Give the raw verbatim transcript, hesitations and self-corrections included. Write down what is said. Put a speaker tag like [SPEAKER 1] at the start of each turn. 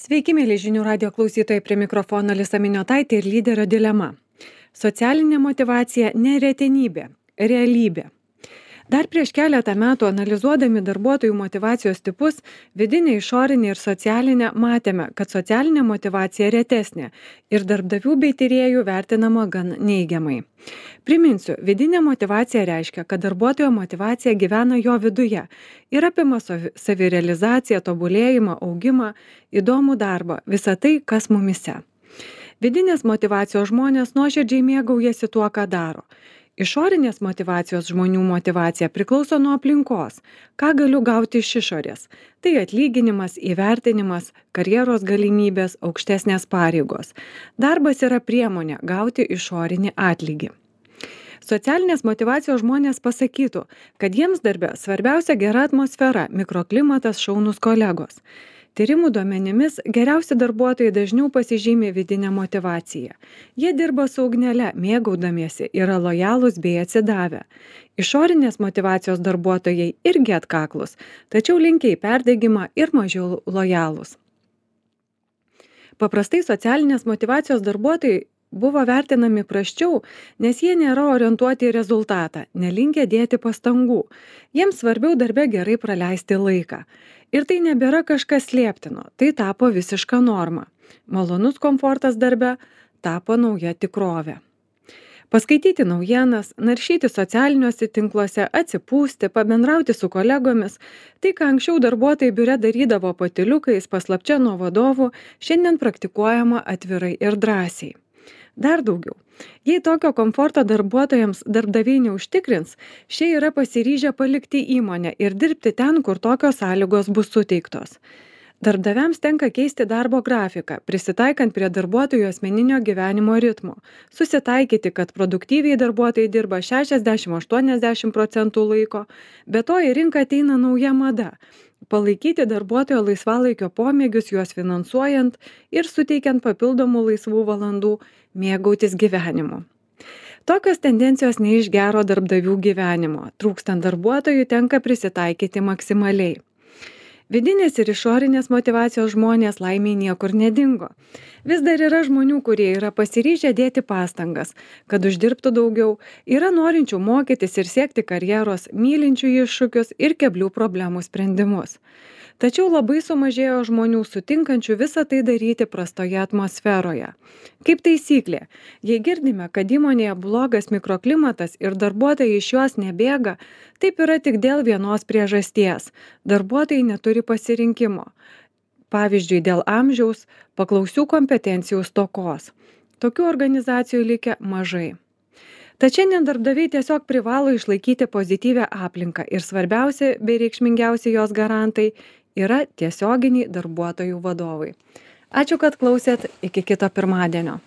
[SPEAKER 1] Sveiki, mėly žinių radio klausytojai, prie mikrofono Lisa Miniotaitė ir lyderio dilema. Socialinė motyvacija ne retenybė, realybė. Dar prieš keletą metų analizuodami darbuotojų motyvacijos tipus, vidinę, išorinę ir socialinę, matėme, kad socialinė motyvacija retesnė ir darbdavių bei tyrėjų vertinama gan neigiamai. Priminsiu, vidinė motyvacija reiškia, kad darbuotojo motyvacija gyvena jo viduje ir apima savi- savirealizaciją, tobulėjimą, augimą, įdomų darbą, visą tai, kas mumise. Vidinės motyvacijos žmonės nuoširdžiai mėgaujasi tuo, ką daro. Išorinės motyvacijos žmonių motyvacija priklauso nuo aplinkos, ką galiu gauti iš išorės. Tai atlyginimas, įvertinimas, karjeros galimybės, aukštesnės pareigos. Darbas yra priemonė gauti išorinį atlygį. Socialinės motyvacijos žmonės pasakytų, kad jiems darbe svarbiausia gera atmosfera, mikroklimatas, šaunūs kolegos. Tyrimų duomenimis geriausi darbuotojai dažniau pasižymi vidinę motyvaciją. Jie dirba su ugnele, mėgaudamiesi, yra lojalūs bei atsidavę. Išorinės motyvacijos darbuotojai irgi atkaklus, tačiau linkia į perdegimą ir mažiau lojalūs. Paprastai socialinės motyvacijos darbuotojai buvo vertinami prasčiau, nes jie nėra orientuoti į rezultatą, nelinkę dėti pastangų. Jiems svarbiau darbe gerai praleisti laiką. Ir tai nebėra kažkas slėptino, tai tapo visiška norma. Malonus komfortas darbe tapo nauja tikrovė. Paskaityti naujienas, naršyti socialiniuose tinkluose, atsipūsti, pabendrauti su kolegomis, tai, ką anksčiau darbuotojai biure darydavo patyliukais, paslapčia nuo vadovų, šiandien praktikuojama atvirai ir drąsiai. Dar daugiau. Jei tokio komforto darbuotojams darbdaviai neužtikrins, šie yra pasiryžę palikti įmonę ir dirbti ten, kur tokios sąlygos bus suteiktos. Darbdaviams tenka keisti darbo grafiką, prisitaikant prie darbuotojų asmeninio gyvenimo ritmo, susitaikyti, kad produktyviai darbuotojai dirba šešiasdešimt aštuoniasdešimt procentų laiko, be to į rinką ateina nauja mada. Palaikyti darbuotojo laisvalaikio pomėgius, juos finansuojant ir suteikiant papildomų laisvų valandų, mėgautis gyvenimu. Tokios tendencijos ne iš gero darbdavių gyvenimo. Trūkstant darbuotojų tenka prisitaikyti maksimaliai. Vidinės ir išorinės motyvacijos žmonės laimiai niekur nedingo. Vis dar yra žmonių, kurie yra pasiryžę dėti pastangas, kad uždirbtų daugiau, yra norinčių mokytis ir siekti karjeros, mylinčių iššūkius ir keblių problemų sprendimus. Tačiau labai sumažėjo žmonių sutinkančių visą tai daryti prastoje atmosferoje. Kaip taisyklė, jei girdime, kad įmonėje blogas mikroklimatas ir darbuotojai iš jos nebėga, taip yra tik dėl vienos priežasties. Darbuotojai neturi pasirinkimo. Pavyzdžiui, dėl amžiaus, paklausių kompetencijų stokos. Tokių organizacijų likę mažai. Tad šiandien darbdaviai tiesiog privalo išlaikyti pozityvią aplinką ir svarbiausi bei reikšmingiausi jos garantai yra tiesioginiai darbuotojų vadovai. Ačiū, kad klausėt, iki kito pirmadienio.